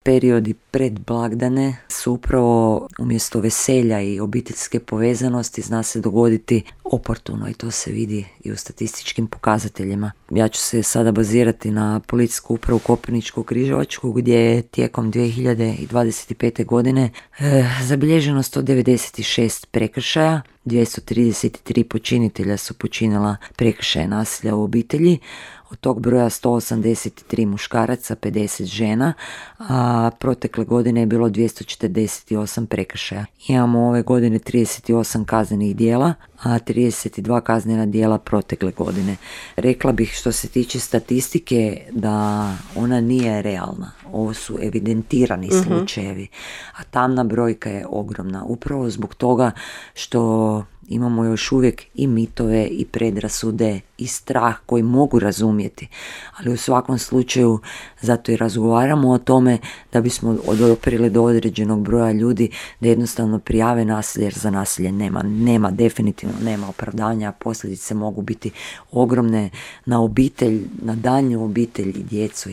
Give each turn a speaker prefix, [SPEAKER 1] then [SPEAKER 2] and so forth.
[SPEAKER 1] Periodi pred blagdane su upravo umjesto veselja i obiteljske povezanosti zna se dogoditi oportuno i to se vidi i u statističkim pokazateljima. Ja ću se sada bazirati na policijsku upravu Koprivničko-križevačku gdje je tijekom 2025. godine zabilježeno 196 prekršaja, 233 počinitelja su počinila prekršaje nasilja u obitelji. Od tog broja 183 muškaraca, 50 žena, a protekle godine je bilo 248 prekršaja. Imamo ove godine 38 kaznenih djela, a 32 kaznena djela protekle godine. Rekla bih što se tiče statistike da ona nije realna. Ovo su evidentirani slučajevi, a tamna brojka je ogromna. Upravo zbog toga što imamo još uvijek i mitove i predrasude i strah koji mogu razumjeti, ali u svakom slučaju zato i razgovaramo o tome da bismo odoprili do određenog broja ljudi da jednostavno prijave nasilje, jer za nasilje nema definitivno nema opravdanja, posljedice mogu biti ogromne na obitelj, na daljnju obitelj i djecu.